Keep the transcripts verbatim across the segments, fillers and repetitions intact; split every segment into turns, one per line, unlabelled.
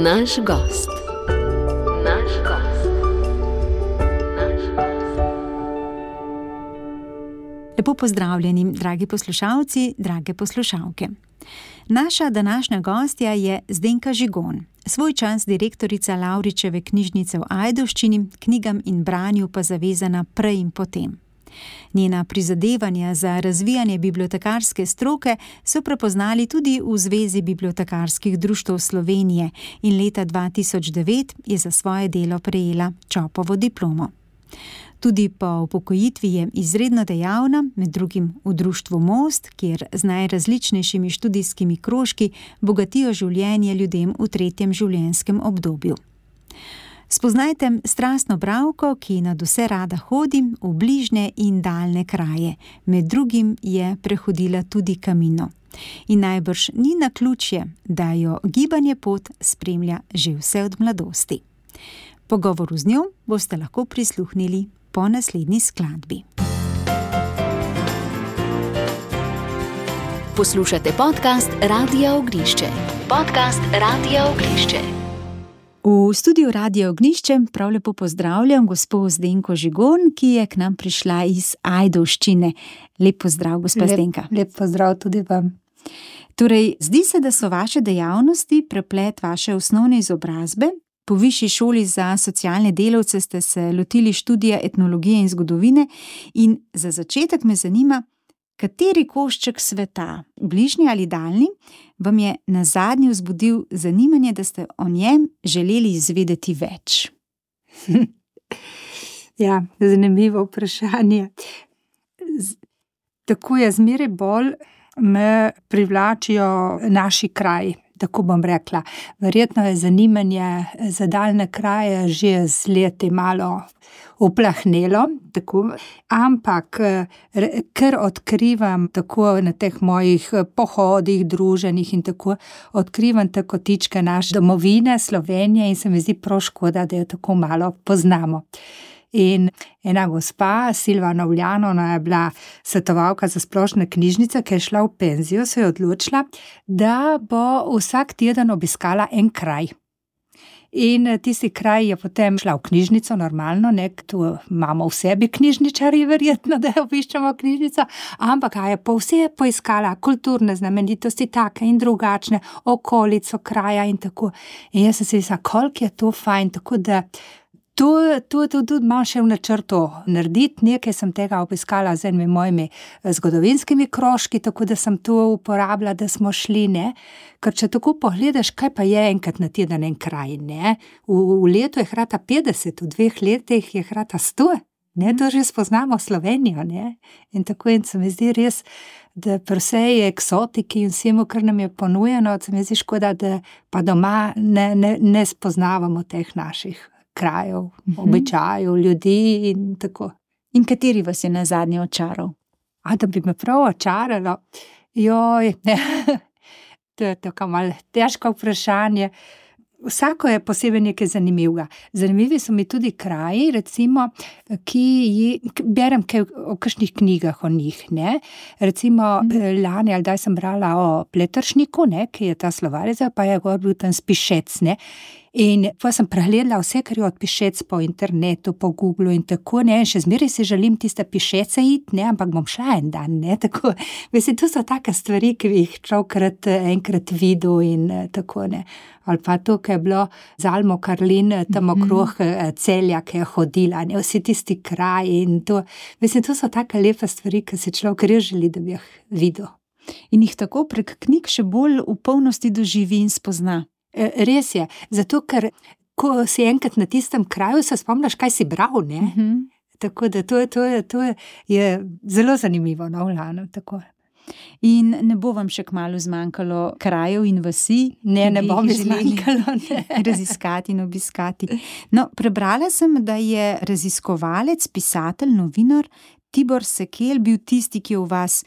Naš gost. Naš gost. Naš gost.
Lepo pozdravljeni, dragi poslušalci, drage poslušalke. Naša današnja gostja je Zdenka Žigon, svoj čas direktorica Lavričeve knjižnice v Ajdovščini, knjigam in branju pa zavezana prej in potem. Njena prizadevanja za razvijanje bibliotekarske stroke so prepoznali tudi v Zvezi bibliotekarskih društev Slovenije in leta dva tisoč devet je za svoje delo prejela Čopovo diplomo. Tudi po upokojitvi je izredno dejavna, med drugim v društvu Most, kjer z najrazličnejšimi študijskimi krožki bogatijo življenje ljudem v tretjem življenjskem obdobju. Spoznajte strastno bralko, ki nadvse rada hodi v bližnje in daljne kraje. Med drugim je prehodila tudi Camino. In najbrž ni naključje, da jo gibanje pot spremlja že vse od mladosti. Pogovoru z njo boste lahko prisluhnili po naslednji skladbi.
Poslušate podcast Radia Ognjišče. Podcast Radia Ognjišče.
V studiu Radia Ognjišče prav lepo pozdravljam gospo Zdenko Žigon, ki je k nam prišla iz Ajdovščine. Lep pozdrav, gospa Zdenka.
Lep, lep pozdrav tudi vam.
Torej, zdi se, da so vaše dejavnosti preplet vaše osnovne izobrazbe. Po višji šoli za socialne delavce ste se lotili študija etnologije in zgodovine in za začetek me zanima, kateri košček sveta, bližnji ali daljni, vam je nazadnje vzbudil zanimanje, da ste o njem želeli izvedeti več?
Ja, zanimivo vprašanje. Z, tako je, zmeraj bolj me privlačijo naši kraji. Tako bom rekla. Verjetno je zanimanje za daljne kraje že z leti malo uplahnelo, tako, ampak ker odkrivam tako na teh mojih pohodih, druženjih in tako, odkrivam te kotičke naše domovine, Slovenije in se mi zdi prav škoda, da jo tako malo poznamo. In ena gospa, Silva Novljanova, je bila svetovalka za splošne knjižnice, ki je šla v penzijo, se je odločila, da bo vsak teden obiskala en kraj. In tisti kraj je potem šla v knjižnico, normalno, nek, tu imamo v sebi knjižničarji, verjetno, da obiščemo knjižnico, ampak je po vse poiskala kulturne znamenitosti, take in drugačne, okolico kraja in tako. In jaz sem se mislila, koliko je to fajn, tako da To, to, to tudi imam še v načrtu narediti, nekaj sem tega obiskala z enimi mojimi zgodovinskimi krožki, tako da sem to uporabila, da smo šli, ne. Ker če tako pogledaš, kaj pa je enkrat na teden en kraj, ne. V, v letu je hrata petdeset, v dveh letih je hrata sto, ne, to že spoznamo Slovenijo, ne. In tako in se mi zdi res, da pri vsej eksotiki in vsemu, kar nam je ponujeno, se mi zdi škoda, da pa doma ne, ne, ne spoznavamo teh naših krajev, uh-huh. običajev, ljudi in tako.
In kateri vas je nazadnje očaral?
A, da bi me prav očaralo? Joj, to je tako malo težko vprašanje. Vsako je posebej nekaj zanimivega. Zanimivi so mi tudi kraji, recimo, ki ji, berem kaj o kakšnih knjigah o njih, ne. Recimo, mm. lani ali daj sem brala o Pletršniku, ne, ki je ta slovarec, pa je gor bil tam Spišec, ne. In pa sem pregledala vse, kar je od Pišec po internetu, po Googlu in tako, ne, in še zmeraj si želim tiste Pišece iti, ne, ampak bom šla en dan, ne, tako. Mislim, to so take stvari, ki bi jih človkrat enkrat videl in tako, ne. Ali pa to, ki je bilo z Almo Karlin, tam okrog Celja, ki je hodila, ne, vsi tisti kraji in to. Mislim, to so take lepe stvari, ki si človek res želi, da bi jih videl.
In jih tako prek knjig še bolj v polnosti doživi in spozna.
Res je, zato ker ko si enkrat na tistem kraju, se spomniš, kaj si bral, ne? Uh-huh. Tako da to, to, to je zelo zanimivo, no, vlano, tako.
In ne bo vam še kmalu zmanjkalo krajev in vasi?
Ne, ne bo mi zmanjkalo, ne.
Raziskati in obiskati. No, prebrala sem, da je raziskovalec, pisatelj, novinar Tibor Sekelj bil tisti, ki je v vas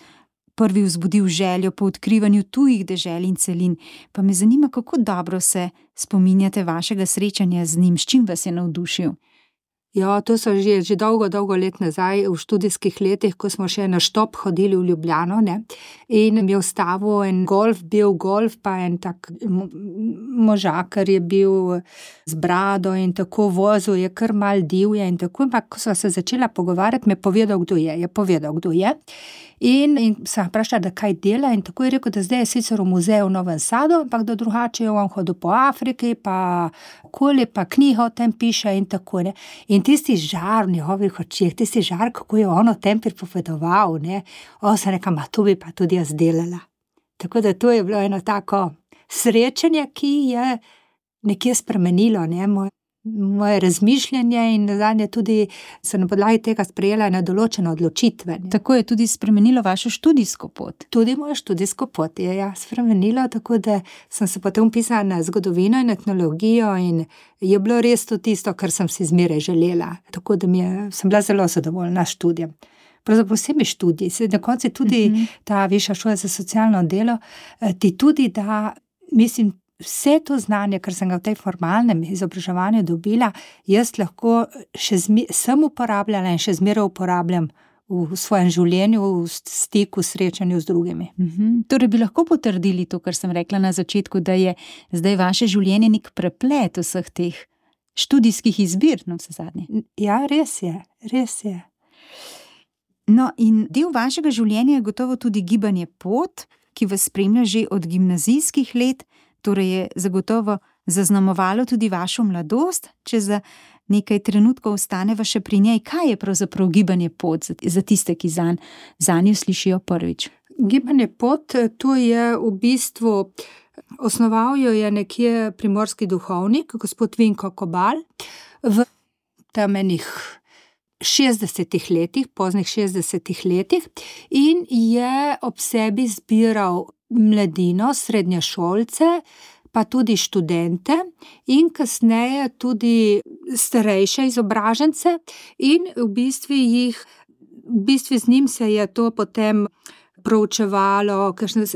prvi vzbudil željo po odkrivanju tujih dežel in celin. Pa me zanima, kako dobro se spominjate vašega srečanja z njim, s čim vas je navdušil?
Ja, to so že, že dolgo, dolgo let nazaj, v študijskih letih, ko smo še na štop hodili v Ljubljano, ne, in mi je vstavil en golf, bil golf, pa en tak možakar je bil z brado in tako vozil, je kar mal divje in tako, ampak ko sva se začela pogovarjati, mi je povedal, kdo je, je povedal, kdo je. In, in sem vprašala, da kaj dela, in tako je rekel, da zdaj je sicer v muzeju v Novem Sadu, ampak da drugače je on hodil po Afriki, pa okoli, pa knjigo o tem piše in tako, ne. In tisti žar v njegovih očeh, tisti žar, kako je on o tem pripovedoval, ne, o, sem rekla, ma to bi pa tudi jaz delala. Tako da to je bilo eno tako srečanje, ki je nekje spremenilo, ne, moj moje razmišljanje in nazadnje tudi sem na podlagi tega sprejela na določene odločitve. Ne.
Tako je tudi spremenilo vašo študijsko pot.
Tudi mojo študijsko pot je ja, spremenilo, tako da sem se potem pisala na zgodovino in etnologijo in je bilo res to tisto, kar sem si zmeraj želela. Tako da mi je, sem bila zelo zadovoljna s študijem. Pravzaprav vsemi študiji, se na koncu tudi uh-huh. ta Višja šola za socialno delo, ti tudi da, mislim, vse to znanje, kar sem ga v tej formalnem izobraževanju dobila, jaz lahko še zmi, sem uporabljala in še zmeraj uporabljam v svojem življenju, v stiku, srečanju z drugimi.
Mhm. Torej bi lahko potrdili to, kar sem rekla na začetku, da je zdaj vaše življenje nek preplet vseh teh študijskih izbir, no vse zadnje.
Ja, res je, res je.
No, in del vašega življenja je gotovo tudi gibanje Pot, ki vas spremlja že od gimnazijskih let, torej je zagotovo zaznamovalo tudi vašo mladost, če za nekaj trenutkov ostaneva še pri njej. Kaj je pravzaprav gibanje Pot za tiste, ki zanj, zanjo slišijo prvič?
Gibanje Pot, to je v bistvu, osnoval jo je nekje primorski duhovnik, gospod Vinko Kobal, v temenih šestdesetih letih, poznih šestdesetih letih in je ob sebi zbiral mladino, srednješolce, pa tudi študente in kasneje tudi starejše izobražence in v bistvu jih, v bistvu z njim se je to potem proučevalo, kakšno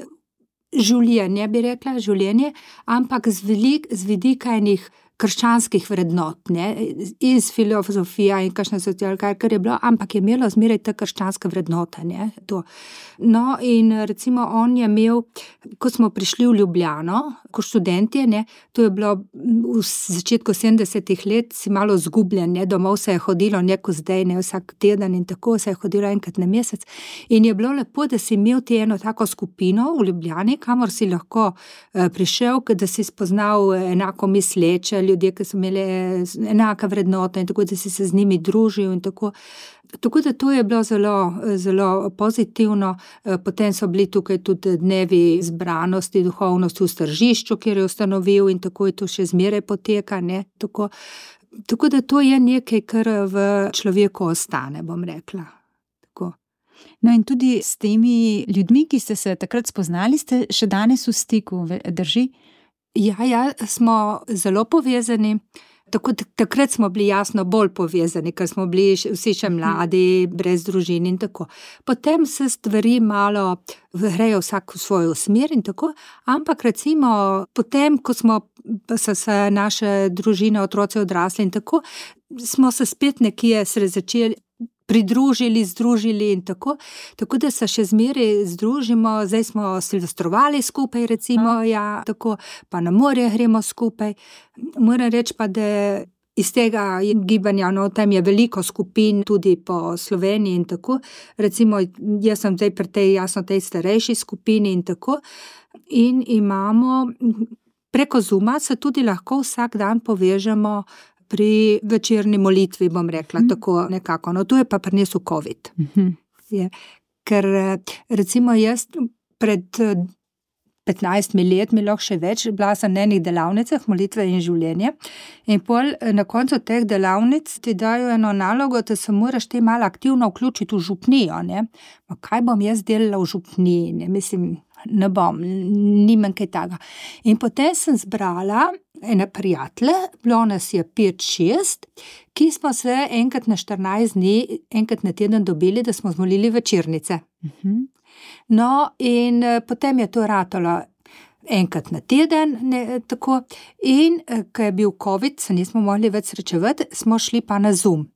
življenje, bi rekla, življenje, ampak z, velik, z vidika enih krščanskih vrednot, ne, iz filozofija in kakšna socialka, kar je bilo, ampak je imelo zmeraj te krščanske vrednote, ne, to. No, in recimo on je imel, ko smo prišli v Ljubljano, ko študentje, ne, to je bilo v začetku sedemdesetih let, si malo zgubljen, ne, domov se je hodilo neko zdaj, ne, vsak teden in tako se je hodilo enkrat na mesec in je bilo lepo, da si imel ti eno tako skupino v Ljubljani, kamor si lahko eh, prišel, da si spoznal enako misleče ljudje, ki so imeli enaka vrednota in tako, da si se z njimi družil in tako. Tako da to je bilo zelo, zelo pozitivno. Potem so bili tukaj tudi dnevi zbranosti, duhovnosti v Stržišču, kjer je ustanovil in tako je to še zmeraj poteka, ne, tako. Tako da to je nekaj, kar v človeku ostane, bom rekla. Tako.
No in tudi s temi ljudmi, ki ste se takrat spoznali, ste še danes v stiku, drži?
Ja, ja, smo zelo povezani. Tako, takrat smo bili jasno bolj povezani, ker smo bili vsi še mladi, brez družin in tako. Potem se stvari malo grejo vsak v svojo smer in tako, ampak recimo potem, ko smo so se naše družine, otroci odrasli in tako, smo se spet nekje se začeli pridružili, združili in tako, tako da se še zmeraj združimo, zdaj smo silvestrovali skupaj recimo, ja, tako, pa na morje gremo skupaj. Moram reči pa, da iz tega gibanja, no, tam je veliko skupin tudi po Sloveniji in tako, recimo jaz sem zdaj pri tej, jasno, tej starejši skupini in tako, in imamo, preko Zooma se tudi lahko vsak dan povežemo pri večerni molitvi, bom rekla, mm. tako nekako. No, tu je pa prinesel COVID.
Mm-hmm.
Je, ker recimo jaz pred petnajstimi letmi, lahko še več, bila sem na enih delavnicah molitve in življenje in pol na koncu teh delavnic ti dajo eno nalogo, da se moraš ti malo aktivno vključiti v župnijo, ne. Ma kaj bom jaz delala v župniji, ne, mislim, ne bom, nimam kaj takega. In potem sem zbrala ene prijatelje, bilo nas je pet, šest, ki smo se enkrat na štirinajst dni, enkrat na teden dobili, da smo zmolili večernice.
Mhm.
No, in potem je to ratalo. enkrat na teden, ne, tako. In ko je bil covid, se nismo mogli več srečevati, smo šli pa na Zoom.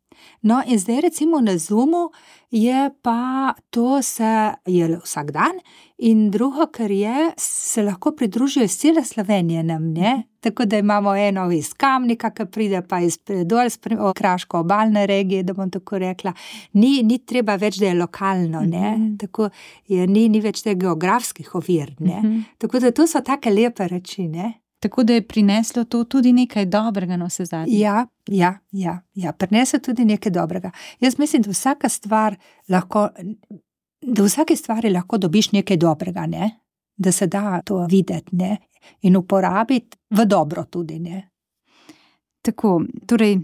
No, in zdaj recimo na Zoomu je pa to se je vsak dan in drugo, kar je, se lahko pridružijo iz cele Slovenije nam, ne? Tako da imamo eno iz Kamnika, ki pride pa iz dol, iz kraško obalne regije, da bom tako rekla. Ni, ni treba več, da je lokalno, ne? Mm-hmm. Tako je, ni, ni več teh geografskih ovir, ne? Mm-hmm. Tako da to so take lepe reči, ne?
Tako da je prineslo to tudi nekaj dobrega na vse zadnje.
Ja, ja, ja, ja, prineslo tudi nekaj dobrega. Jaz mislim, da vsaka stvar lahko, da v vsaki stvari lahko dobiš nekaj dobrega, ne? Da se da to videti, ne? In uporabiti v dobro tudi, ne?
Tako, torej,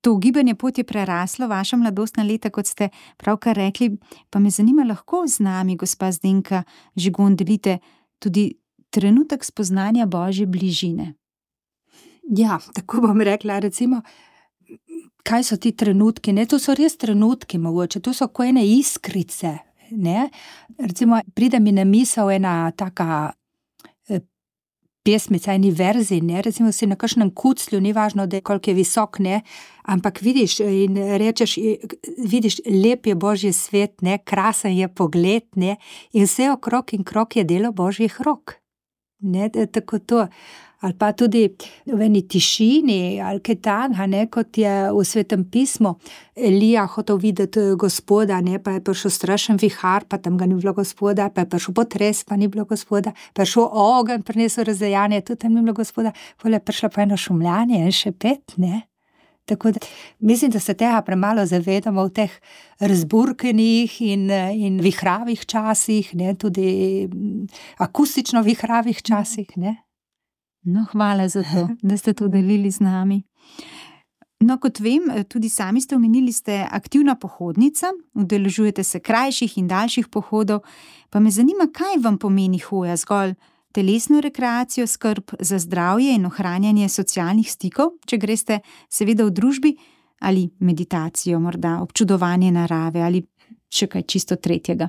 to gibanje pot je preraslo vaša mladostna leta, kot ste pravkar rekli, pa me zanima, lahko z nami, gospa Zdenka Žigon, delite tudi trenutek spoznanja Božje bližine.
Ja, tako bom rekla, recimo, kaj so ti trenutki, ne, to so res trenutki mogoče, to so ko ene iskrice, ne, recimo, pride mi na misel ena taka eh, pesmica, eni verzi, ne, recimo si na kakšnem kuclju, ni važno, da je koliko je visok, ne, ampak vidiš in rečeš, vidiš, lep je Božji svet, ne, krasen je pogled, ne, in vse okrog in krog je delo Božjih rok. Ne, tako to, ali pa tudi v eni tišini, ali kaj takega, ne, kot je v Svetem pismu, Elija hotel videti Gospoda, ne, pa je prišel strašen vihar, pa tam ga ni bilo Gospoda, pa je prišel potres, pa ni bilo Gospoda, pa je šel ogenj, prinesel razdejanje, tudi tam ni bilo Gospoda, potem je prišlo pa eno šumljanje in šepet, ne. Tako da mislim, da se tega premalo zavedamo v teh razburkenih in, in vihravih časih, ne, tudi akustično vihravih časih, ne.
No, hvala za to, da ste to delili z nami. No, kot vem, tudi sami ste omenili, ste aktivna pohodnica, udeležujete se krajših in daljših pohodov, pa me zanima, kaj vam pomeni hoja, zgolj telesno rekreacijo, skrb za zdravje in ohranjanje socialnih stikov, če greste seveda v družbi, ali meditacijo, morda občudovanje narave ali še kaj čisto tretjega.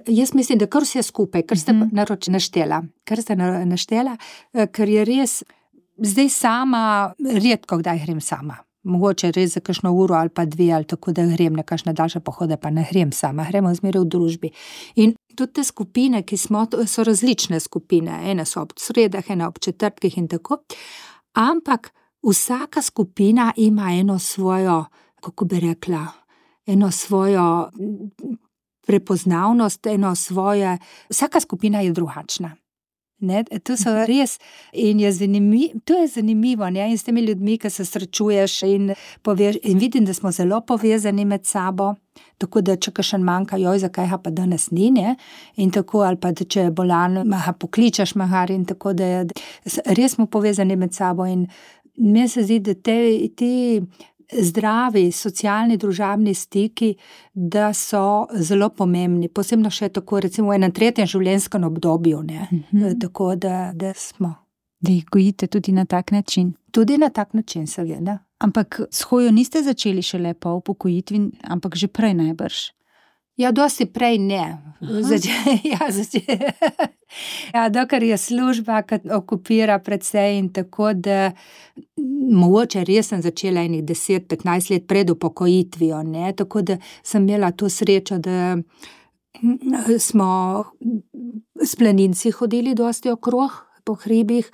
Jaz mislim, da kar vse skupaj, kar ste mm-hmm. naroč naštela, kar ste naštela, ker je res, zdaj sama, redko kdaj grem sama. Mogoče res za kakšno uro ali pa dve ali tako, da grem na kakšne daljše pohode, pa ne grem sama, gremo zmeraj v družbi. In tudi te skupine, ki smo, so različne skupine, ene so ob sredah, ene ob četrtkih in tako, ampak vsaka skupina ima eno svojo, kako bi rekla, eno svojo prepoznavnost, eno svoje, vsaka skupina je drugačna. Ne, to so res in je zanimivo, to je zanimivo, ne, in s temi ljudmi, ki se srečuješ in poveš, in vidim, da smo zelo povezani med sabo, tako da če kakšen manjka, joj, zakaj ga pa danes ni, ne, in tako, ali pa da če je bolan, ga pokličeš mahar in tako, da je, res smo povezani med sabo in meni se zdi, da te, te zdravi, socialni, družabni stiki, da so zelo pomembni, posebno še tako, recimo v enem tretjem življenjskem obdobju, ne, mm-hmm. tako da, da smo.
Da jih gojite tudi na tak način.
Tudi na tak način, seveda.
Ampak s hojo niste začeli šele po upokojitvi, ampak že prej najbrž.
Ja, dosti prej ne. Zače, ja, zače. Ja, dokler je služba, ki okupira precej in tako, da mogoče res sem začela enih deset, petnajst let pred upokojitvijo, ne, tako da sem imela to srečo, da smo s planinci hodili dosti okrog po hribih,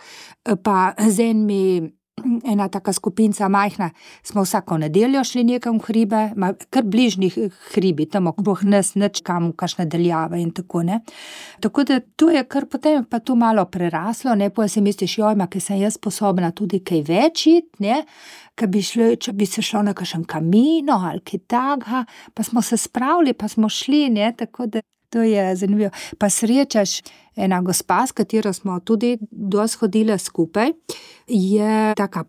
pa z enimi ena taka skupinca majhna, smo vsako nedeljo šli nekam v hribe, kar bližnjih hribi, tam okrog nas, nič kam, kakšne daljave in tako, ne. Tako da to je kar potem pa to malo preraslo, ne, potem si misliš, joj, ma, ker sem jaz sposobna tudi kaj več iti, ne, ker bi šli, če bi se šlo na kakšen kamino ali kaj takega, pa smo se spravili, pa smo šli, ne, tako da to je zanimivo. Pa srečaš ena gospa, s katero smo tudi dosti hodile skupaj, je taka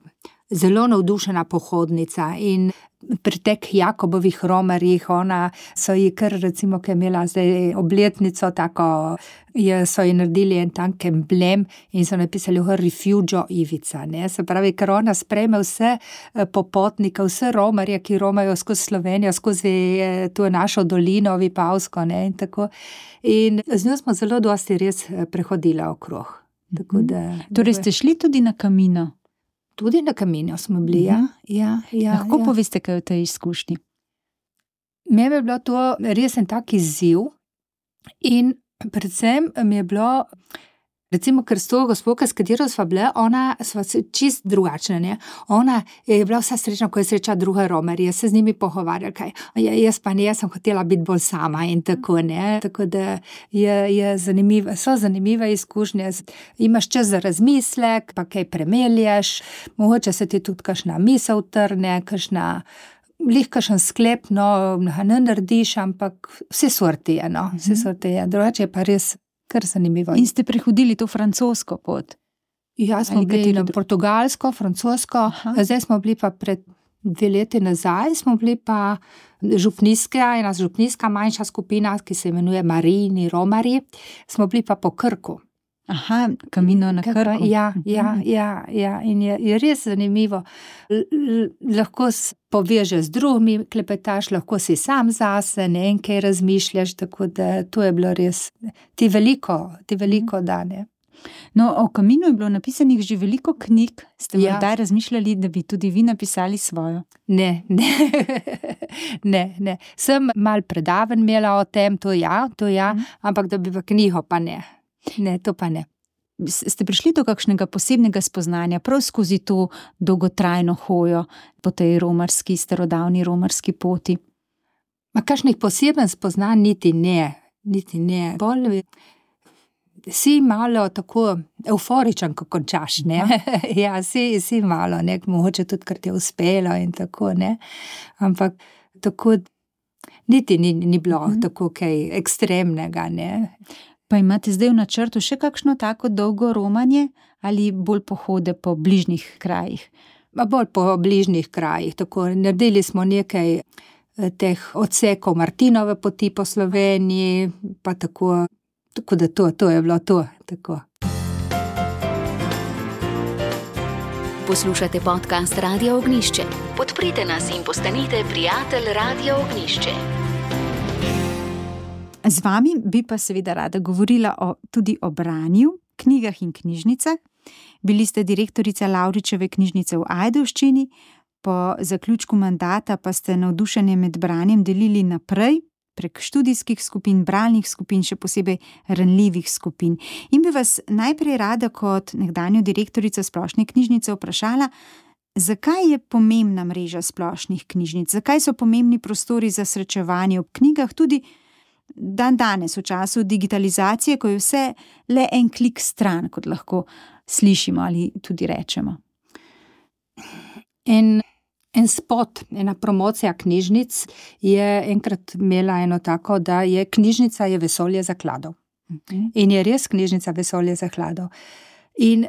zelo navdušena pohodnica in pri teh Jakobovih romarjih, ona so ji kar, recimo, ki je imela zdaj obletnico, tako je, so ji naredili en tak emblem in so napisali Refugio Ivica, ne, se pravi, ker ona sprejme vse popotnike, vse romarje, ki romajo skozi Slovenijo, skozi to našo dolino, Vipavsko, ne, in tako. In z njo smo zelo dosti res prehodila okrog. Tako da,
torej ste šli tudi na Camino?
Tudi na Camino smo bili, ja. ja, ja
Lahko
ja.
poveste kaj o tej izkušnji?
Meni je bilo to res en tak izziv in predvsem mi je bilo, recimo, ker s to gospo, s katero sva bile, ona sva čist drugačna, ne. Ona je bila vsa srečna, ko je srečala druge romarje, se z njimi pogovarjala, kaj. Ja, jaz pa ne, jaz sem hotela biti bolj sama in tako, ne. Tako da je, je zanimiva, so zanimive izkušnje. Imaš čas za razmislek, pa kaj premelješ, mogoče se ti tudi kakšna misel trne, kakšna lih kakšen sklep, no, ne narediš, ampak vse sorti je, no, vse sorti je. Drugače je pa res kar zanimivo.
In ste prehodili to francosko pot?
Ja, smo
Ali
bili na
katero?
portugalsko, francosko,
Aha.
zdaj smo bili pa pred dve leti nazaj, smo bili pa župnijska, ena župnijska manjša skupina, ki se imenuje Marijini romarji, smo bili pa po Krku.
Aha, Camino na
Kako-
Krku.
Ja, ja, ja, ja, in je, je res zanimivo. L, l, lahko s- povežeš z drugimi, klepetaš, lahko si sam zase, ne, in kaj razmišljaš, tako da to je bilo res, ti veliko, ti veliko dane.
No, o Caminu je bilo napisanih že veliko knjig. Ste
Ja.
morda razmišljali, da bi tudi vi napisali svojo?
Ne, ne, ne, ne. Sem mal predavanj imela o tem, to ja, to ja,
Mhm.
ampak da bi v knjigo pa ne. Ne, to pa ne.
S- Ste prišli do kakšnega posebnega spoznanja prav skozi to dolgotrajno hojo po tej romarski, starodavni romarski poti?
Ma kakšnih poseben spoznanj niti ne, niti ne. Bolj si malo tako euforičen, ko končaš, ne. Ja, si, si malo, ne, mogoče tudi, ker ti je uspelo in tako, ne. Ampak tako niti ni, ni bilo
Mhm.
tako kaj ekstremnega, ne.
Pa imate zdaj v načrtu še kakšno tako dolgo romanje ali bolj pohode po bližnjih krajih?
Ma bolj po bližnjih krajih, tako naredili smo nekaj eh, teh odsekov Martinove poti po Sloveniji, pa tako, tako da to, to je bilo to, tako.
Poslušate podcast Radia Ognišče. Podprite nas in postanite prijatelj Radia Ognišče.
Z vami bi pa seveda rada govorila o, tudi o branju, knjigah in knjižnicah. Bili ste direktorica Lavričeve knjižnice v Ajdovščini, po zaključku mandata pa ste navdušenje med branjem delili naprej prek študijskih skupin, bralnih skupin, še posebej ranljivih skupin. In bi vas najprej rada kot nekdanjo direktorico Splošne knjižnice vprašala, zakaj je pomembna mreža splošnih knjižnic, zakaj so pomembni prostori za srečevanje ob knjigah tudi dan danes, v času digitalizacije, ko je vse le en klik stran, kot lahko slišimo ali tudi rečemo.
En, en spot, ena promocija knjižnic je enkrat imela eno tako, da je knjižnica je vesolje zakladov. In je res knjižnica vesolje zakladov. In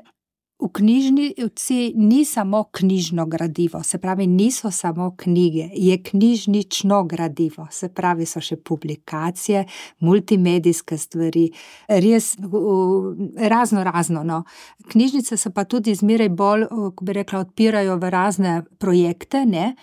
v knjižnici ni samo knjižno gradivo, se pravi, niso samo knjige, je knjižnično gradivo, se pravi, so še publikacije, multimedijske stvari, res v- razno razno, no. Knjižnice se pa tudi zmeraj bolj, ko bi rekla, odpirajo v razne projekte, ne,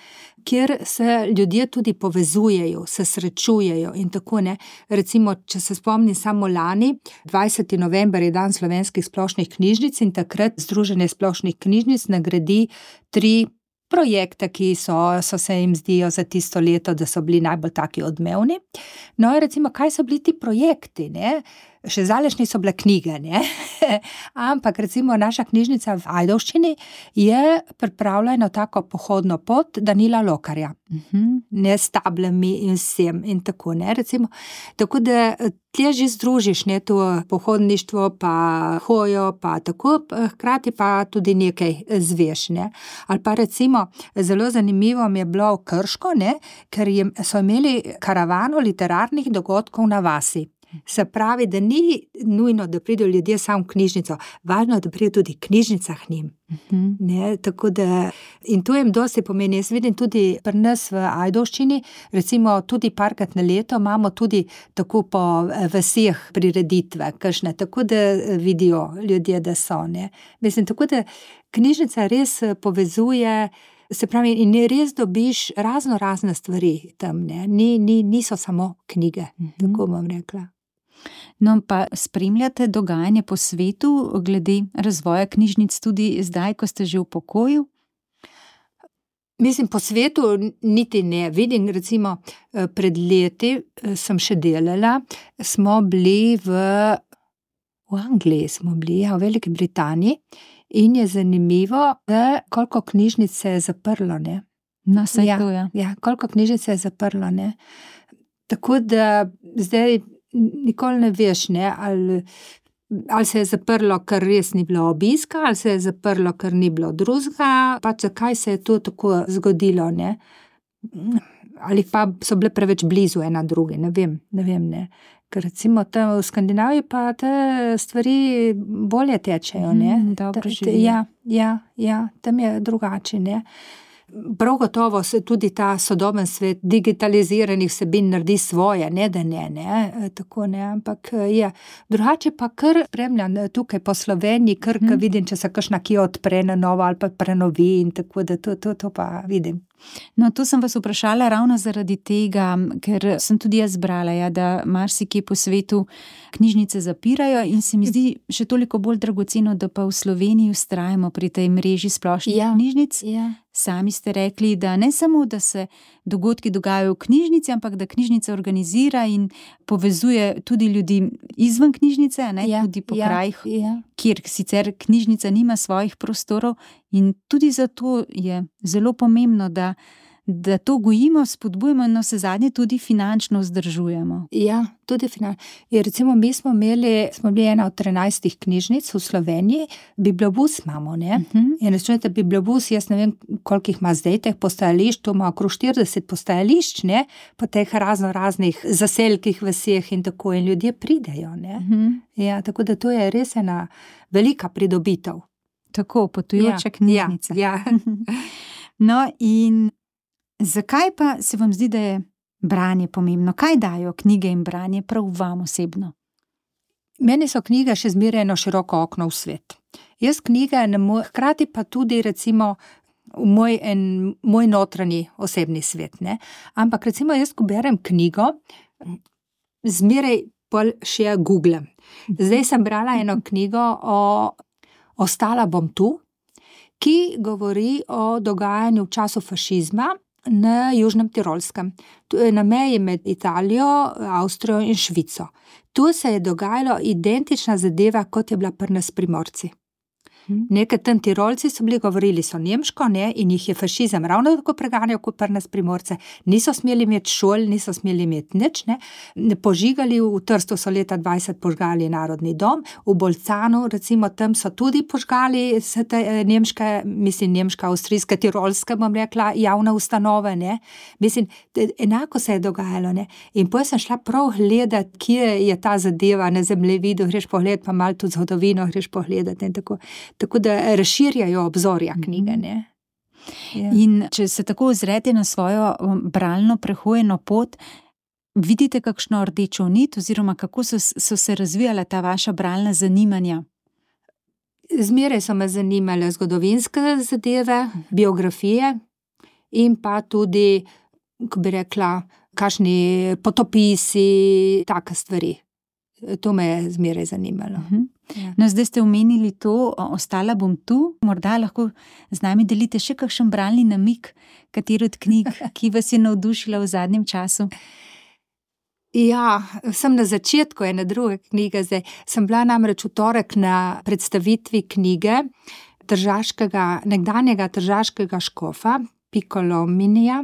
kjer se ljudje tudi povezujejo, se srečujejo in tako, ne. Recimo, če se spomnim samo lani, dvajseti november je dan slovenskih splošnih knjižnic in takrat Združenje splošnih knjižnic nagradi tri projekte, ki so, so se jim zdijo za tisto leto, da so bili najbolj taki odmevni. No, recimo, kaj so bili ti projekti, ne? Še zdaleč niso bile knjige, ne? Ampak recimo naša knjižnica v Ajdovščini je pripravila eno tako pohodno pot Danila Lokarja.
Mhm.
Ne, s tablami in vsem in tako, ne, recimo. Tako da tje že združiš, ne, to pohodništvo pa hojo pa tako, hkrati pa tudi nekaj zveš, ne. Ali pa recimo, zelo zanimivo mi je bilo v Krško, ne, ker jim, so imeli karavano literarnih dogodkov na vasi. Se pravi, da ni nujno, da pridejo ljudje samo v knjižnico, važno je, da pride tudi knjižnica k njim. Uh-huh. Ne, tako da, in to jim dosti pomeni. Jaz vidim tudi pri nas v Ajdovščini, recimo tudi parkrat na leto, imamo tudi tako po vaseh prireditve, kakšne, tako da vidijo ljudje, da so. Ne. Mislim, tako da knjižnica res povezuje, se pravi, in res dobiš razno razne stvari tam, ne. Ni, ni, niso samo knjige, uh-huh. tako bom rekla.
No, pa spremljate dogajanje po svetu glede razvoja knjižnic tudi zdaj, ko ste že v pokoju?
Mislim, po svetu niti ne. Vidim, recimo, pred leti sem še delala, smo bili v, v Angliji, smo bili, ja, v Veliki Britaniji, in je zanimivo, da koliko knjižnic se je zaprlo, ne.
No, saj
ja,
to, ja.
Ja, koliko knjižnic se je zaprlo, ne. Tako da zdaj nikoli ne veš, ne, ali, ali se je zaprlo, ker res ni bilo obiska, ali se je zaprlo, ker ni bilo drugega, pač zakaj se je to tako zgodilo, ne. Ali pa so bile preveč blizu ena drugi, ne vem, ne vem, ne. Ker recimo tam v Skandinaviji pa te stvari bolje tečejo, ne.
Mm, dobro živijo.
Ja, ja, ja, tam je drugače, ne. Prav gotovo se tudi ta sodoben svet digitaliziranih vsebin naredi svoje, ne da ne, ne, tako ne, ampak je. Drugače pa kar spremljam tukaj po Sloveniji, kar hmm. vidim, če se kakšna kje odpre na novo ali pa prenovi in tako, da to, to, to pa vidim.
No, to sem vas vprašala ravno zaradi tega, ker sem tudi jaz brala, ja, da marsikje po svetu knjižnice zapirajo in se mi zdi še toliko bolj dragoceno, da pa v Sloveniji vztrajamo pri tej mreži splošnih ja. knjižnic.
Ja.
Sami ste rekli, da ne samo, da se dogodki dogajajo v knjižnici, ampak da knjižnica organizira in povezuje tudi ljudi izven knjižnice, ne, ja, tudi po ja, krajih, ja. kjer sicer knjižnica nima svojih prostorov, in tudi zato je zelo pomembno, da, da to gojimo, spodbujemo in navsezadnje tudi finančno vzdržujemo.
Ja, tudi finančno. Ja, recimo mi smo imeli, smo bili ena od trinajstih knjižnic v Sloveniji, bibliobus imamo, ne. Uh-huh. In rečete, bibliobus, jaz ne vem, koliko jih ima zdaj teh postajališč, to ima okrog štirideset postajališč, ne, po teh razno raznih zaselkih vseh in tako, in ljudje pridejo, ne. Uh-huh. Ja, tako da to je res ena velika pridobitev.
Tako, potujoča
ja,
knjižnica.
Ja, ja.
No, in zakaj pa se vam zdi, da je branje pomembno? Kaj dajo knjige in branje prav vam osebno?
Meni so knjige še zmeraj eno široko okno v svet. Jaz knjige ne morem, hkrati pa tudi recimo v moj, en, moj notranji osebni svet, ne. Ampak recimo jaz, ko berem knjigo, zmeraj pol še googlam. Zdaj sem brala eno knjigo o Ostala bom tu, ki govori o dogajanju v času fašizma na Južnem Tirolskem. To je na meji med Italijo, Avstrijo in Švico. Tu se je dogajalo identična zadeva, kot je bila pri nas Primorci. Nekaj tam Tirolci so bili, govorili so nemško, ne, in jih je fašizem ravno tako preganjal kot pri nas Primorce. Niso smeli imeti šol, niso smeli imeti nič, ne. Požigali, v Trstu so leta dvajset požgali Narodni dom, v Bolcanu, recimo, tam so tudi požgali se te nemške, mislim, nemška, avstrijska, tirolska, bom rekla, javne ustanove, ne. Mislim, enako se je dogajalo, ne. In potem sem šla prav gledat, kje je ta zadeva na zemljevidu, greš pogledat, pa malo tudi zgodovino greš pogledat in tako. Tako da razširjajo obzorja knjige, ne. Ja.
In če se tako ozrete na svojo bralno prehojeno pot, vidite kakšno rdečo nit oziroma kako so, so se razvijala ta vaša bralna zanimanja?
Zmeraj so me zanimale zgodovinske zadeve, biografije in pa tudi, ko bi rekla, kakšni potopisi, take stvari. To me je zmeraj zanimalo.
Uh-huh. Ja. No, zdaj ste omenili to, ostala bom tu, morda lahko z nami delite še kakšen bralni namig, katero od knjig, ki vas je navdušila v zadnjem času?
Ja, sem na začetku ene druge knjige zdaj. Sem bila namreč v torek na predstavitvi knjige tržaškega, nekdanjega tržaškega škofa, Piccolomija,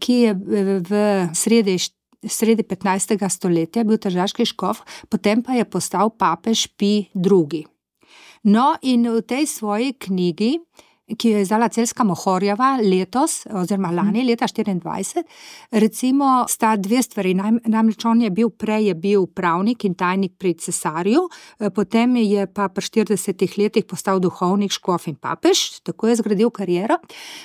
ki je v sredi sredi petnajstega stoletja bil tržaški škof, potem pa je postal papež Pij drugi. No, in v tej svoji knjigi ki jo je izdala Celjska Mohorjeva letos, oziroma lani, leta štiriindvajset, recimo sta dve stvari. Namreč on je bil, prej je bil pravnik in tajnik pri cesarju, potem je pa pri štiridesetih letih postal duhovnik, škof in papež, tako je zgradil kariero.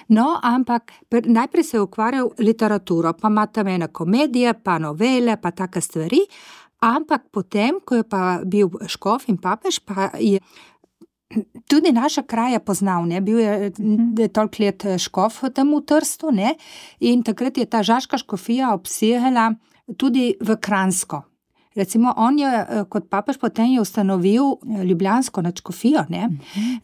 No, ampak najprej se je ukvarjal literaturo, pa ima tam ene komedije, pa novele, pa take stvari, ampak potem, ko je pa bil škof in papež, pa je tudi naša kraja poznal, ne, bil je, je toliko let škof tam v Trstu, ne, in takrat je ta žaška škofija obsegala tudi v Kranjsko. Recimo, on je kot papež potem je ustanovil ljubljansko nadškofijo, ne,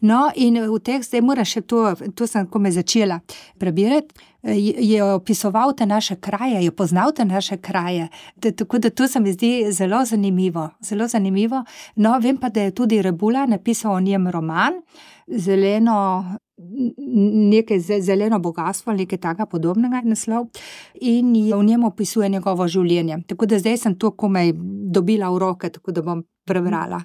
no, in v teh, zdaj moram še to, to sem kome začela prebirati, je opisoval te naše kraje, je poznal te naše kraje, tako da to se mi zdi zelo zanimivo, zelo zanimivo. No, vem pa, da je tudi Rebula napisal o njem roman, zeleno, nekaj zeleno bogatstvo, nekaj takega podobnega naslov, in v njem opisuje njegovo življenje. Tako da zdaj sem to komaj dobila v roke, tako da bom prebrala.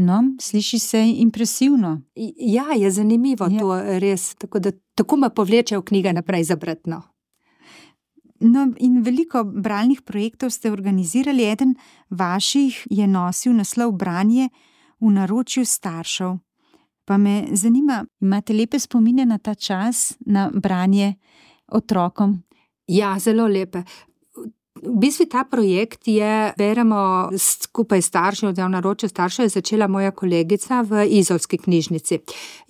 No, sliši se impresivno.
Ja, je zanimivo ja. To res, tako da tako me povlečejo knjige naprej za brati, no.
No, in veliko bralnih projektov ste organizirali, eden vaših je nosil naslov Branje v naročju staršev. Pa me zanima, imate lepe spomine na ta čas, na branje otrokom?
Ja, zelo lepe. V bistvu ta projekt je, beremo skupaj staršev, v naročju staršev je začela moja kolegica v izolski knjižnici.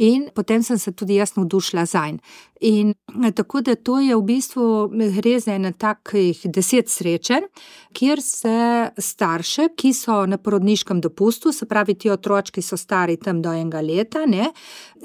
In potem sem se tudi jaz navdušila zanj. In tako da to je v bistvu gre za ene takih deset srečanj, kjer se starše, ki so na porodniškem dopustu, se pravi ti otročki so stari tam do enega leta, ne,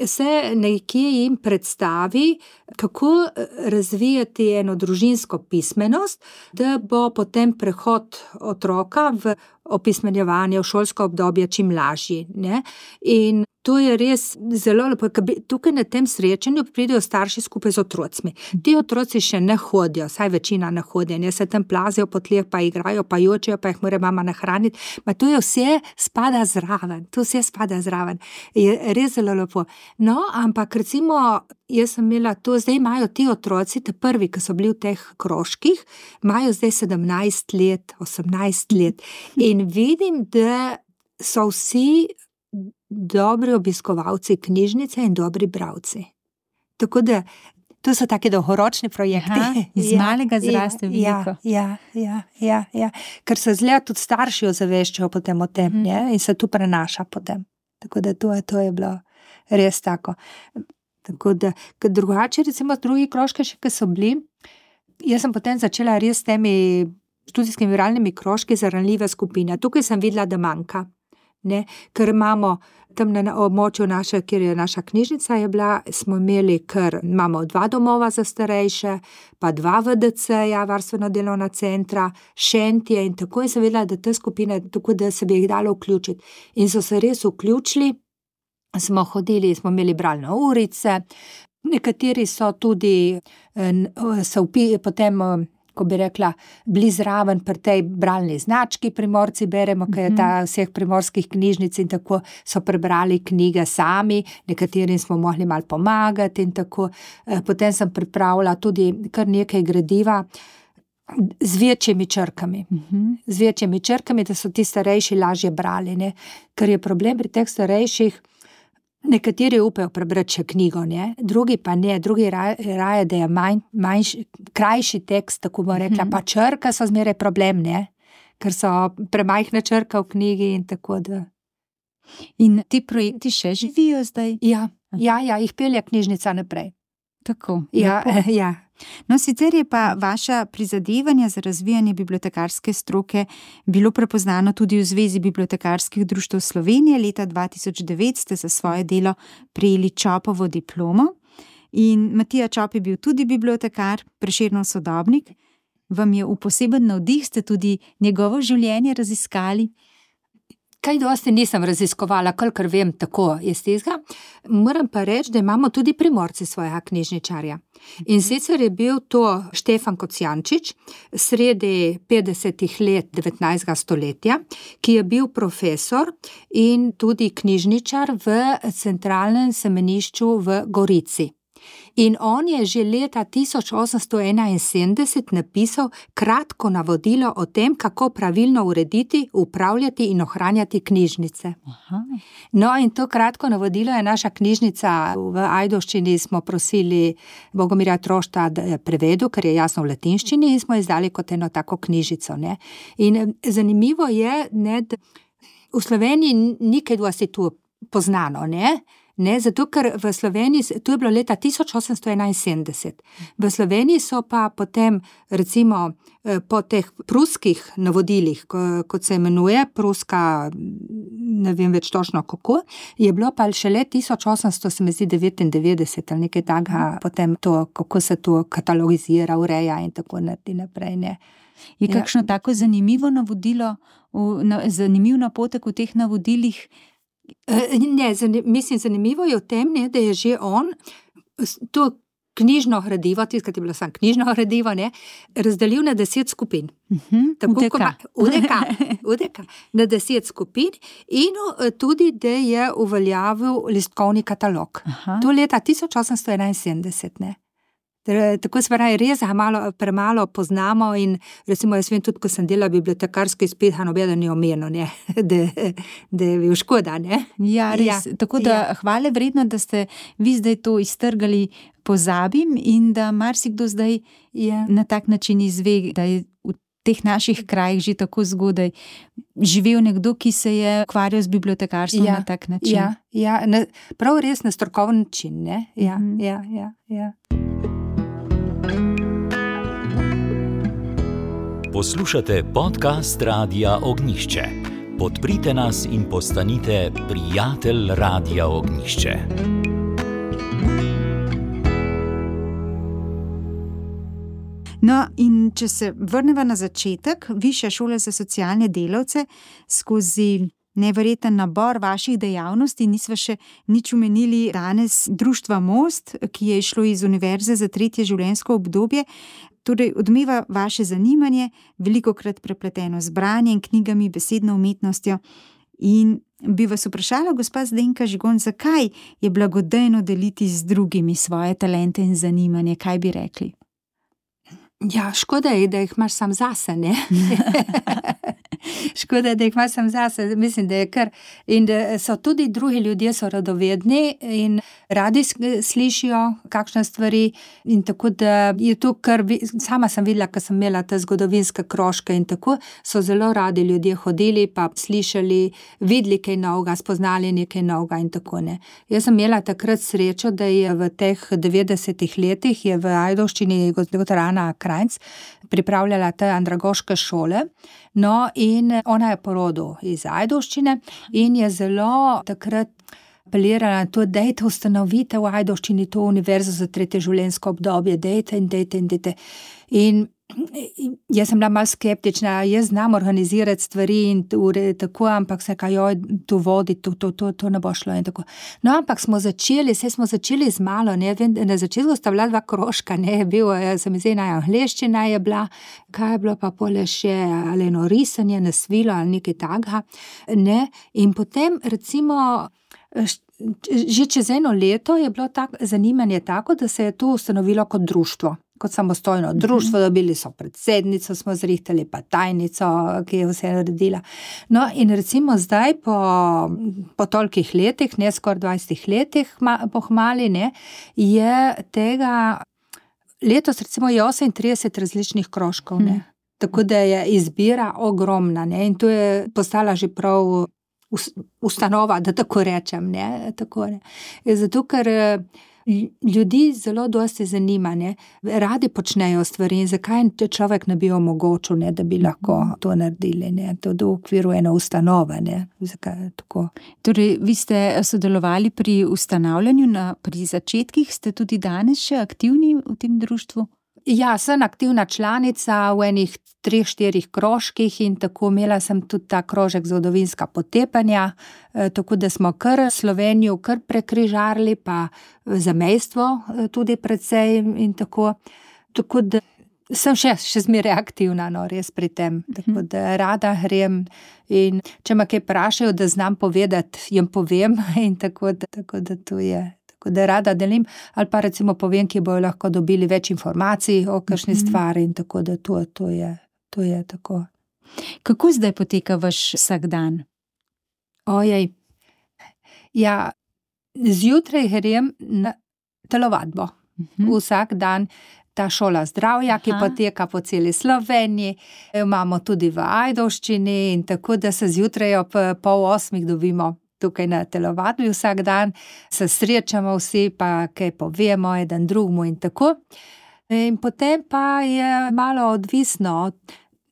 se nekje jim predstavi, kako razvijati eno družinsko pismenost, da bo potem prehod otroka v opismenjevanje, v šolsko obdobje čim lažji, ne. In to je res zelo lepo, tukaj na tem srečanju pridejo starši skupaj z otrocmi. Ti otroci še ne hodijo, saj večina ne hodijo, ne, se tam plazijo po tleh, pa igrajo, pa jočejo, pa jih mora mama nahraniti, pa to je vse spada zraven, to vse spada zraven. Je res zelo lepo. No, ampak recimo, jaz sem imela to, zdaj imajo ti otroci, te prvi, ki so bili v teh krožkih, imajo zdaj sedemnajst let, osemnajst let in vidim, da so vsi dobri obiskovalci knjižnice in dobri bralci. Tako da, to so taki dolgoročni projekti.
Aha, iz ja, malega zraste veliko.
Ja, ja, ja, ja. Ker se zgleda tudi starši ozaveščajo potem o tem, mm. in se tu prenaša potem. Tako da to je, to je bilo res tako. Tako da, ker drugače, recimo drugi krožki še, ki so bili, jaz sem potem začela res s temi študijskimi viralnimi krožki za ranljive skupine. Tukaj sem videla, da manjka. Ne, ker imamo tam na območju naše, kjer je naša knjižnica je bila, smo imeli, ker imamo dva domova za starejše, pa dva V D C-ja, varstveno delovna centra, šentje in tako in sem vedela, da te skupine, tako da se bi jih dalo vključiti. In so se res vključili, smo hodili, smo imeli bralne urice, nekateri so tudi, so upi, potem, ko bi rekla, bili zraven pri tej bralni znački Primorci beremo, mm-hmm. ker je ta vseh primorskih knjižnic in tako so prebrali knjige sami, nekaterim smo mogli malo pomagati in tako. Potem sem pripravila tudi kar nekaj gradiva z večjimi črkami. Mm-hmm. Z večjimi črkami, da so ti starejši lažje brali, ne? Ker je problem pri teh starejših, nekateri upajo prebrati še knjigo, ne? Drugi pa ne, drugi raje, raje da je manj, manjši, krajši tekst, tako bom rekla, mm-hmm. pa črka so zmeraj problem, ne? Ker so premajhna črka v knjigi in tako da.
In ti projekti še živijo zdaj?
Ja, ja, ja, jih pelje knjižnica naprej.
Tako.
Ja, ja.
No, sicer je pa vaša prizadevanja za razvijanje bibliotekarske stroke bilo prepoznano tudi v Zvezi bibliotekarskih društev Slovenije. Leta dva tisoč devet ste za svoje delo prejeli Čopovo diplomo in Matija Čop je bil tudi bibliotekar, Prešernov sodobnik. Vam je v poseben navdih, ste tudi njegovo življenje raziskali?
kaj dosti nisem raziskovala, kolikor vem tako iz tega. Moram pa reči, da imamo tudi Primorci svojega knjižničarja. In sicer je bil to Štefan Kocijančič, sredi petdesetih let devetnajstega stoletja, ki je bil profesor in tudi knjižničar v centralnem semenišču v Gorici. In on je že leta tisoč osemsto enainsedemdeset napisal kratko navodilo o tem, kako pravilno urediti, upravljati in ohranjati knjižnice.
Aha.
No, in to kratko navodilo je naša knjižnica v Ajdovščini, smo prosili Bogomirja Trošta, da je prevedel, ker je jasno v latinščini, in smo izdali kot eno tako knjižico. Ne. In zanimivo je, ne, da v Sloveniji ni kaj dosti tu poznano, ne? Ne, zato ker v Sloveniji, to je bilo leta tisoč osemsto enainsedemdeset, v Sloveniji so pa potem, recimo, po teh pruskih navodilih, kot se imenuje, pruska, ne vem več točno kako, je bilo pa šele tisoč osemsto devetindevetdeset ali nekaj takega, potem to, kako se to katalogizira, ureja in tako naprej, ne.
Je kakšno ja. Tako zanimivo navodilo, zanimiv napotek v teh navodilih?
Ne, zanim, mislim, zanimivo je v tem, ne, da je že on to knjižno gradivo, tiskati je bilo samo knjižno gradivo, ne, razdelil na deset skupin.
Uh-huh.
Tako,
U D K.
Ma, U D K, U D K, na deset skupin in tudi, da je uveljavil listkovni katalog. Aha. To leta tisoč osemsto enainsedemdeset, ne. Tako se pravi, res ga malo, premalo poznamo in recimo jaz vem tudi, ko sem delala bibliotekarski izpit, nobeden ni omenil, ne, da, da je bil škoda, ne.
Ja, res, ja, tako da ja. Hvale vredno, da ste vi zdaj to iztrgali, pozabim in da marsikdo zdaj ja. Na tak način izve, da je v teh naših krajih že tako zgodaj živel nekdo, ki se je ukvarjal z bibliotekarstvom ja. Na tak način.
Ja, ja, na, prav res na strokoven način, ne. Ja, mm. ja, ja, ja.
Poslušate podcast Radia Ognjišče. Podprite nas in postanite prijatelj Radia Ognjišče.
No, in če se vrneva na začetek, Višja šola za socialne delavce, skozi neverjeten nabor vaših dejavnosti, nisva še nič omenili danes Društva Most, ki je išlo iz Univerze za tretje življenjsko obdobje. Torej, odmeva vaše zanimanje, velikokrat prepleteno z branjem, knjigami, besedno umetnostjo. In bi vas vprašala, gospa Zdenka Žigon, zakaj je blagodejno deliti z drugimi svoje talente in zanimanje? Kaj bi rekli?
Ja, škoda je, da jih imaš sam zase, ne? Škoda je, da jih imaš sam zase, mislim, da je kar, in da so tudi drugi ljudje so radovedni in radi slišijo kakšne stvari in tako, da je to kar, sama sem videla, ko sem imela te zgodovinske krožke in tako, so zelo radi ljudje hodili, pa slišali, videli kaj novega, spoznali nekaj novega in tako, ne. Jaz sem imela takrat srečo, da je v teh devetdesetih letih je v Ajdovščini doktor Ana Krajnc pripravljala te andragoške šole, no in ona je po rodu iz Ajdovščine in je zelo takrat apelirala na to, dejte ustanovite v Ajdovščini to univerzo za tretje življenjsko obdobje, dejte in dejte in dejte. In jaz sem bila malo skeptična, jaz znam organizirati stvari in tako, ampak se kaj, joj, to vodi, to, to, to, to ne bo šlo in tako. No, ampak smo začeli, se smo začeli z malo, ne, vem, na začetku sta bila dva krožka, ne, je bil, se mi zdi, angleščina je bila, kaj je bilo pa pole še, ali eno risanje na svilo ali nekaj takega, ne, in potem recimo že čez eno leto je bilo tak, zanimanje tako, da se je to ustanovilo kot društvo, kot samostojno društvo, dobili so predsednico, smo zrihtali pa tajnico, ki je vse naredila. No, in recimo zdaj po, po tolikih letih, ne skoraj dvajsetih letih, pohmali, ne, je tega, letos recimo je osemintrideset različnih krožkov, ne, tako da je izbira ogromna, ne, in to je postala že prav ustanova, da tako rečem, ne, tako, ne. Zato, ker ljudi zelo dosti zanima, ne, radi počnejo stvari in zakaj človek ne bi omogočil, ne, da bi lahko to naredili, ne, to v okviru ene ustanove, ne, zakaj tako.
Torej, vi ste sodelovali pri ustanavljanju, na, pri začetkih, ste tudi danes še aktivni v tem društvu?
Ja, sem aktivna članica v enih treh, štirih krožkih in tako imela sem tudi ta krožek zgodovinska potepanja, tako da smo kar Slovenijo kar prekrižarili, pa zamejstvo tudi precej in tako. Tako da sem še, še zmeraj aktivna, no, res pri tem, tako da rada grem in če me kaj vprašajo, da znam povedati, jim povem in tako da, tako da to je. Tako da rada delim, ali pa recimo povem, ki bojo lahko dobili več informacij o kakšni stvari in tako da to, to je, to je tako.
Kako zdaj poteka vaš vsak dan?
Ojej, ja, zjutraj grem na telovadbo. Mhm. Vsak dan ta šola zdravja, ki Aha. poteka po celi Sloveniji, imamo tudi v Ajdovščini in tako da se zjutraj ob pol osmih dobimo tukaj na telovadbi vsak dan, se srečamo vsi, pa kaj povemo eden drugmu in tako. In potem pa je malo odvisno,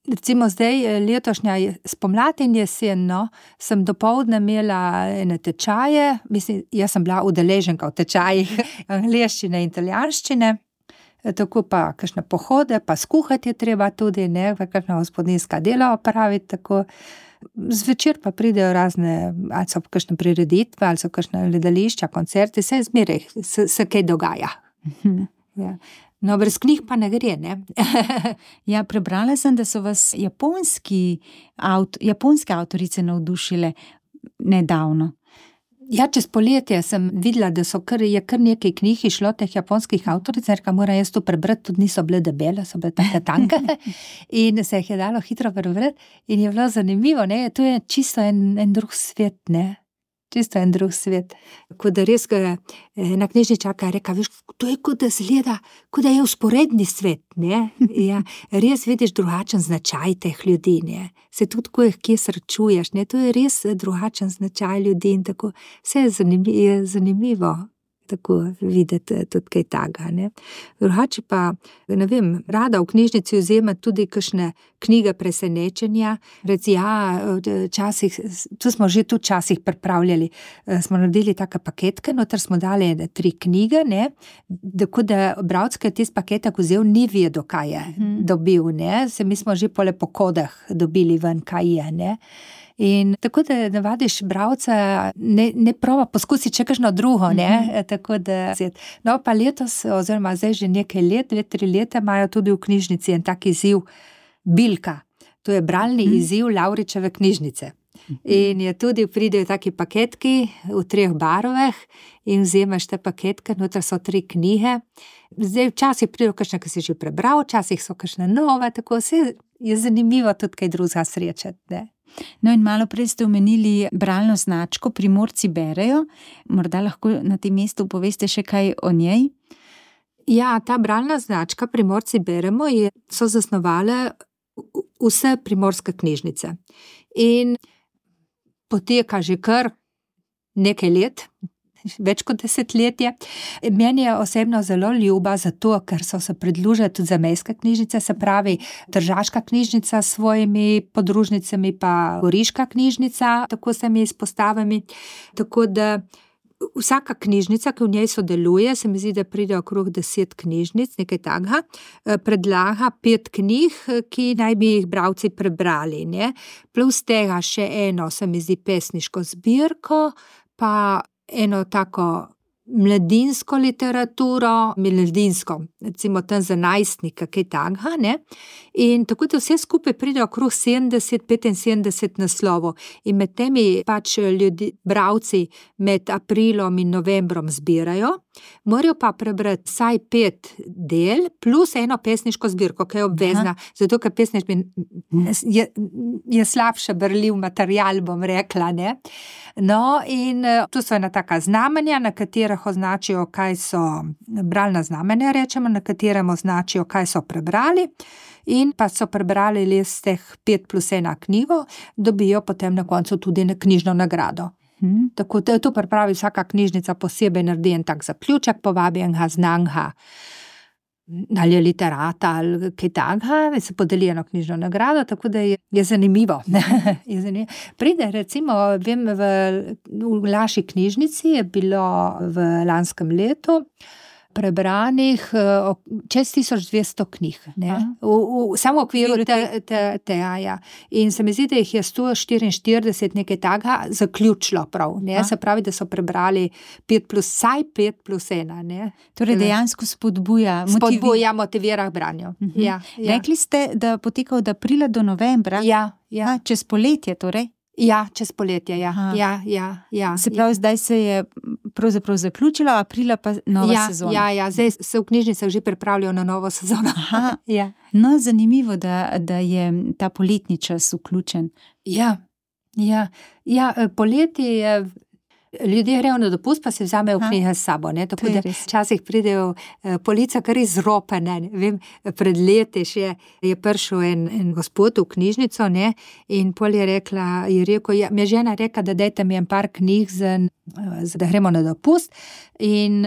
recimo zdaj letošnja spomlad in jesen, no, sem dopoldne imela ene tečaje, mislim, jaz sem bila udeleženka v tečajih angleščine in italijanščine, tako pa kakšne pohode, pa skuhati je treba tudi, ne, kakšna gospodinjska dela opraviti, tako. Zvečer pa pridejo razne, ali so kakšne prireditve, ali so kakšne gledališča, koncerti, vse zmeraj se, se kaj dogaja.
Mhm.
Ja. No, brez knjig pa ne gre, ne?
Ja, prebrala sem, da so vas japonski avt, japonske avtorice navdušile nedavno.
Ja, čez poletje sem videla, da so kar, je kar nekaj knjig išlo teh japonskih avtoric, ker moram jaz to prebrati, tudi niso bile debele, so bile take tanke in se jih je dalo hitro prebrati in je bilo zanimivo, ne, to je čisto en, en drug svet, ne, čisto en drug svet. Tako da res, ena knjižničarka je rekla, veš, to je kot da zgleda, kot da je vzporedni svet, ne, ja, res vidiš drugačen značaj teh ljudi, ne. Se tudi, ko jih kje srečuješ, ne, to je res drugačen značaj ljudi in tako, vse je zanimivo, je zanimivo tako videti tudi kaj takega, ne. Drugače pa, ne vem, rada v knjižnici vzemati tudi kakšne knjige presenečenja, reci, ja, časih, to smo že tudi časih pripravljali, smo naredili take paketke, noter smo dali tri knjige, ne, tako da bralec, ki je tist paketek vzel, ni vedel, kaj je hmm. dobil, ne, se mi smo že pole po kodah dobili ven, kaj je, ne. In tako da navadiš bralca, ne, ne prova poskusiti še kakšno drugo, ne, mm-hmm. tako da, no pa letos, oziroma zdaj že nekaj let, dve, tri leta imajo tudi v knjižnici en tak izziv Bilka, to je bralni mm-hmm. izziv Lavričeve knjižnice. In je tudi, pridejo taki paketki v treh barvah in vzemaš te paketke, noter so tri knjige. Zdaj včasih pridejo kakšne, ki si že prebral, včasih so kakšne nove, tako vse je zanimivo tudi kaj drugega srečati, ne.
No in malo prej ste omenili bralno značko Primorci berejo, morda lahko na tem mestu poveste še kaj o njej?
Ja, ta bralna značka Primorci beremo je, so zasnovale vse primorske knjižnice in poteka že kar nekaj let, več kot desetletje. Meni je osebno zelo ljuba zato, ker so se pridružile tudi zamejske knjižnice, se pravi Tržaška knjižnica s svojimi podružnicami pa Goriška knjižnica, tako se mi izpostavami, tako da vsaka knjižnica, ki v njej sodeluje, se mi zdi, da pride okrog deset knjižnic, nekaj takega, predlaga pet knjig, ki naj bi jih bralci prebrali, ne. Plus tega še eno, se mi zdi, pesniško zbirko, pa eno tako mladinsko literaturo, mladinsko, recimo tam za najstnika, kaj takega, ne. In tako da vse skupaj pride okrog sedemdeset, petinsedemdeset naslovov in med temi pač ljudi, bralci med aprilom in novembrom zbirajo, morajo pa prebrati vsaj pet del, plus eno pesniško zbirko, ki je obvezna, Aha. zato ker pesniški je, je slabše berljiv material, bom rekla, ne. No, in tu so ena taka znamenja, na katerih označijo, kaj so bralna znamenja, rečemo, na katerem označijo, kaj so prebrali, in pa so prebrali les teh pet plus ena knjigo, dobijo potem na koncu tudi knjižno nagrado. Hmm. Tako da to pripravi vsaka knjižnica posebej, naredi en tak zaključek, povabi enega znanega, ali je literata, ali kaj takega, se podeli eno knjižno nagrado, tako da je, je zanimivo. je zanimivo. Pride, recimo, vem, v, v naši knjižnici je bilo v lanskem letu prebranih čez tisoč dvesto knjig, ne, v, v, samo v okviru te, te, te, ja. In se mi zdi, da jih je sto štiriinštirideset nekaj takega zaključilo prav, ne, se pravi, da so prebrali pet plus, saj pet plus ena, ne.
Torej dejansko spodbuja, motivi...
spodbuja, motivira k branju. Uh-huh. Ja, ja.
Rekli ste, da poteka od aprila do novembra?
Ja, ja.
A, čez poletje torej?
Ja, čez poletje, ja. Ja, ja, ja.
Se pravi, ja. Zdaj se je pravzaprav zaključilo, aprila pa nova
ja,
sezona.
Ja, ja, zdaj se v knjižnicah že pripravljajo na novo sezono.
Aha,
ja.
No, zanimivo, da, da je ta poletni čas vključen.
Ja, ja, ja, poletje je... Ljudje grejo na dopust, pa se vzamejo knjige s sabo, ne, tako da včasih pridejo polica kar izropene, ne vem, pred leti še je prišel en, en gospod v knjižnico, ne, in pol je rekla, je rekel, ja, mi je žena rekla, da dajte mi en par knjig, za, za da gremo na dopust, in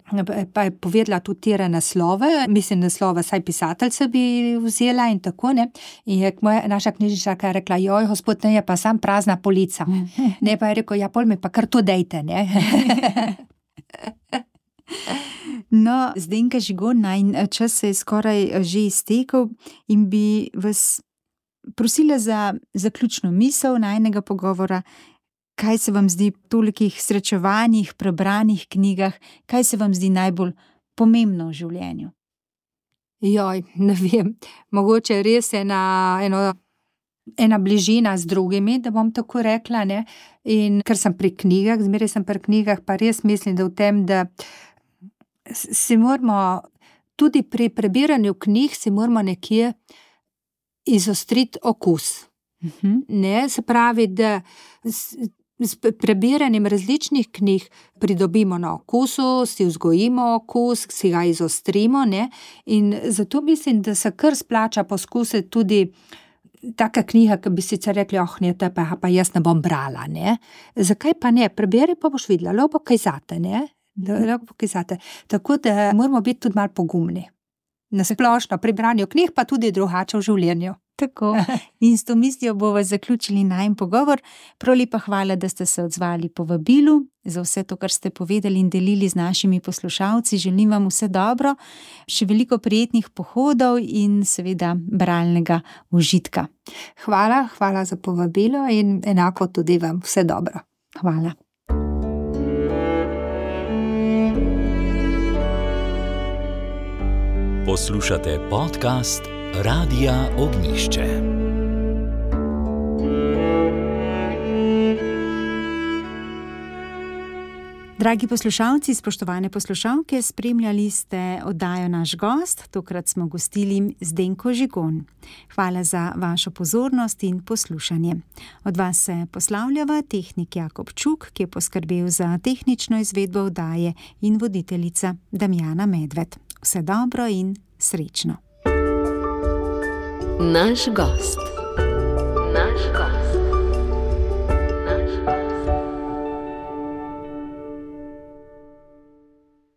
pa je povedala tudi tire naslove, mislim naslove, saj pisatelj se bi vzela in tako, ne, in je moja, naša knjižničarka rekla, joj, gospod, ne, je pa sam prazna polica, ne, pa je rekel, ja, pol mi pa kar to dejte, ne.
No, Zdenka Žigon, najin čas se je skoraj že iztekel in bi vas prosila za zaključno misel najinega pogovora, kaj se vam zdi v tolikih srečevanjih, prebranih knjigah, kaj se vam zdi najbolj pomembno v življenju?
Joj, ne vem, mogoče res je na eno ena bližina z drugimi, da bom tako rekla, ne, in ker sem pri knjigah, zmeraj sem pri knjigah, pa res mislim, da v tem, da si moramo, tudi pri prebiranju knjig si moramo nekje izostriti okus. Uh-huh. Ne, se pravi, da s, s prebiranjem različnih knjig pridobimo na okusu, si vzgojimo okus, si ga izostrimo, ne, in zato mislim, da se kar splača poskusiti tudi taka knjiga, ki bi sicer rekli, oh, ne, to pa, pa jaz ne bom brala, ne. Zakaj pa ne? Preberi, pa boš videla, lepo kaj zate, ne. Lepo kaj zate. Tako da moramo biti tudi malo pogumni. Na splošno pri branju knjig, pa tudi drugače v življenju.
Tako. In s to mislijo bomo zaključili najin pogovor. Prav lepa hvala, da ste se odzvali povabilu, za vse to, kar ste povedali in delili z našimi poslušalci. Želim vam vse dobro, še veliko prijetnih pohodov in seveda bralnega užitka.
Hvala, hvala za povabilo in enako tudi vam vse dobro.
Hvala.
Poslušate podcast Radia Ognišče.
Dragi poslušalci, spoštovane poslušalke, spremljali ste oddajo Naš gost, tokrat smo gostili Zdenko Žigon. Hvala za vašo pozornost in poslušanje. Od vas se poslavljava tehnik Jakob Čuk, ki je poskrbel za tehnično izvedbo oddaje, in voditeljica Damjana Medved. Vse dobro in srečno.
Naš gost.